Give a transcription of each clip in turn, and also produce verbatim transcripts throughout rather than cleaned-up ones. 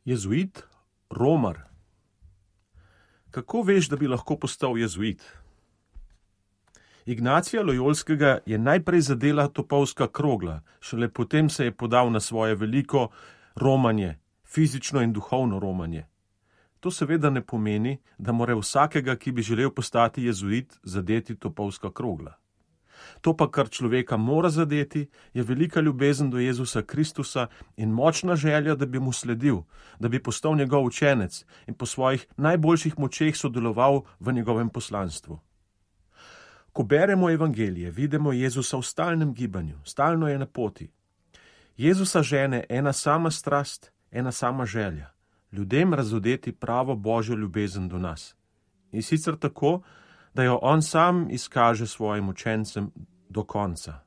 Jezuit, romar. Kako veš, da bi lahko postal jezuit? Ignacija Lojolskega je najprej zadela topovska krogla, šele potem se je podal na svoje veliko romanje, fizično in duhovno romanje. To seveda ne pomeni, da mora vsakega, ki bi želel postati jezuit, zadeti topovska krogla. To pa, kar človeka mora zadeti, je velika ljubezen do Jezusa Kristusa in močna želja, da bi mu sledil, da bi postal njegov učenec in po svojih najboljših močeh sodeloval v njegovem poslanstvu. Ko beremo evangelije, vidimo Jezusa v stalnem gibanju, stalno je na poti. Jezusa žene ena sama strast, ena sama želja, ljudem razodeti pravo božjo ljubezen do nas. In sicer tako, da jo on sam izkaže svojim učencem do konca.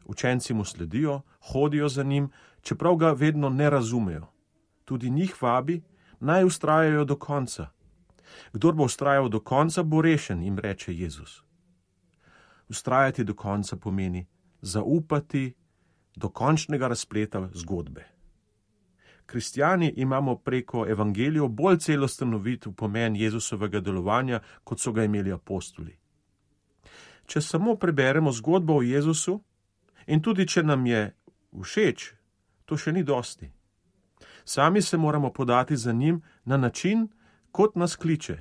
Učenci mu sledijo, hodijo za njim, čeprav ga vedno ne razumejo. Tudi njih vabi, naj vztrajajo do konca. Kdor bo vztrajal do konca, bo rešen, jim reče Jezus. Vztrajati do konca pomeni zaupati do končnega razpleta zgodbe. Kristjani imamo preko evangelijev bolj celosten uvid v pomen Jezusovega delovanja, kot so ga imeli apostoli. Če samo preberemo zgodbo o Jezusu, in tudi če nam je všeč, to še ni dosti. Sami se moramo podati za njim na način, kot nas kliče,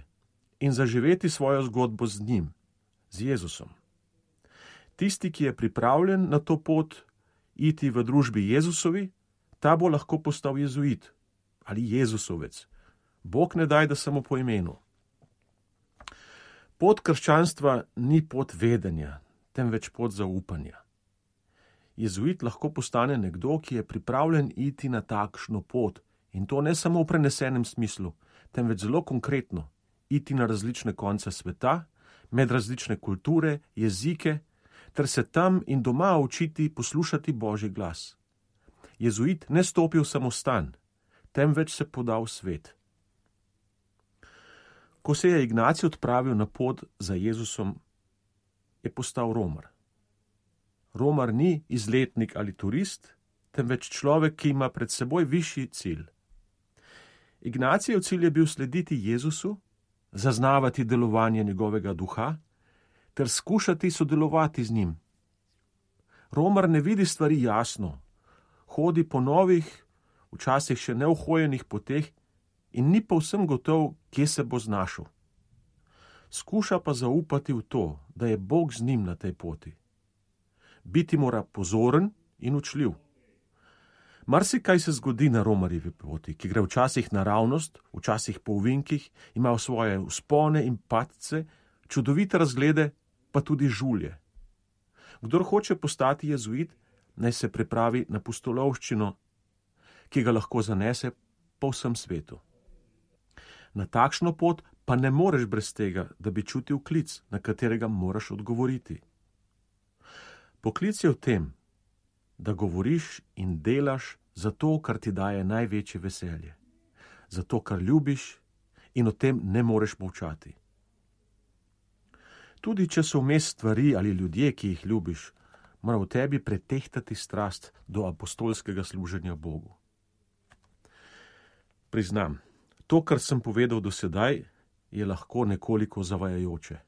in zaživeti svojo zgodbo z njim, z Jezusom. Tisti, ki je pripravljen na to pot iti v družbi Jezusovi, ta bo lahko postal jezuit ali Jezusovec. Bog ne daj, da samo po imenu. Pot krščanstva ni pot vedenja, temveč pot zaupanja. Jezuit lahko postane nekdo, ki je pripravljen iti na takšno pot, in to ne samo v prenesenem smislu, temveč zelo konkretno, iti na različne konce sveta, med različne kulture, jezike, ter se tam in doma učiti poslušati Božji glas. Jezuit ne stopi v samostan, temveč se poda v svet. Ko se je Ignacij odpravil na pot za Jezusom, je postal romar. Romar ni izletnik ali turist, temveč človek, ki ima pred seboj višji cilj. Ignacijev cilj je bil slediti Jezusu, zaznavati delovanje njegovega duha, ter skušati sodelovati z njim. Romar ne vidi stvari jasno, hodi po novih, včasih še neuhojenih poteh in ni povsem gotov, kje se bo znašel. Skuša pa zaupati v to, da je Bog z njim na tej poti. Biti mora pozoren in učljiv. Marsikaj se zgodi na romarjevi poti, ki gre včasih naravnost, včasih po ovinkih, ima svoje vzpone in padce, čudovite razglede, pa tudi žulje. Kdor hoče postati jezuit, naj se pripravi na pustolovščino, ki ga lahko zanese po vsem svetu. Na takšno pot pa ne moreš brez tega, da bi čutil klic, na katerega moraš odgovoriti. Poklic je v tem, da govoriš in delaš zato, kar ti daje največje veselje, zato, kar ljubiš in o tem ne moreš molčati. Tudi če so vmes stvari ali ljudje, ki jih ljubiš, mora v tebi pretehtati strast do apostolskega služenja Bogu. Priznam, to, kar sem povedal do sedaj, je lahko nekoliko zavajajoče.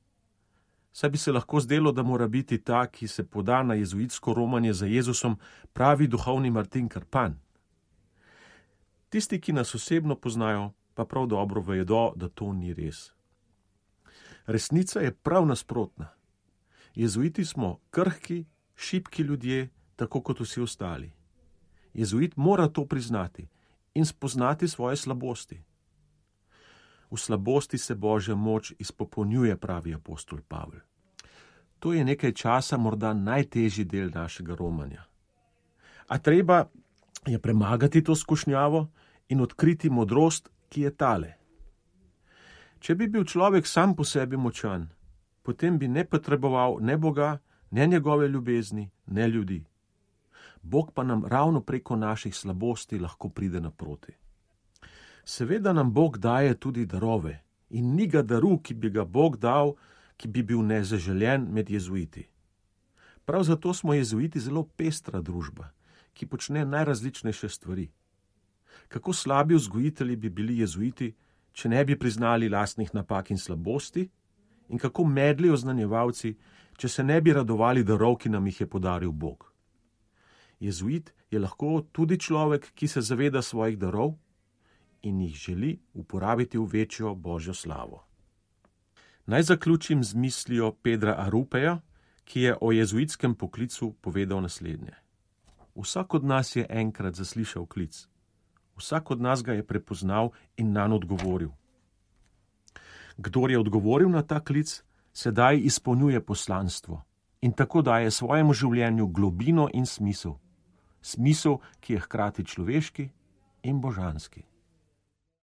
Saj bi se lahko zdelo, da mora biti ta, ki se poda na jezuitsko romanje za Jezusom, pravi duhovni Martin Krpan. Tisti, ki nas osebno poznajo, pa prav dobro vedo, da to ni res. Resnica je prav nasprotna. Jezuiti smo krhki, šibki ljudje, tako kot vsi ostali. Jezuit mora to priznati in spoznati svoje slabosti. V slabosti se Božja moč izpopolnjuje, pravi apostol Pavel. To je nekaj časa morda najtežji del našega romanja. A treba je premagati to skušnjavo in odkriti modrost, ki je tale. Če bi bil človek sam po sebi močan, potem bi ne potreboval ne Boga, ne njegove ljubezni, ne ljudi. Bog pa nam ravno preko naših slabosti lahko pride naproti. Seveda nam Bog daje tudi darove in ni ga daru, ki bi ga Bog dal, ki bi bil nezaželjen med jezuiti. Prav zato smo jezuiti zelo pestra družba, ki počne najrazličnejše stvari. Kako slabi vzgojitelji bi bili jezuiti, če ne bi priznali lastnih napak in slabosti, in kako medli oznanjevalci, če se ne bi radovali darov, ki nam jih je podaril Bog. Jezuit je lahko tudi človek, ki se zaveda svojih darov in jih želi uporabiti v večjo božjo slavo. Naj zaključim z mislijo Pedra Arupeja, ki je o jezuitskem poklicu povedal naslednje. Vsak od nas je enkrat zaslišal klic. Vsak od nas ga je prepoznal in nanj odgovoril. Kdor je odgovoril na ta klic, sedaj izpolnjuje poslanstvo in tako daje svojemu življenju globino in smisel. Smisel, ki je hkrati človeški in božanski.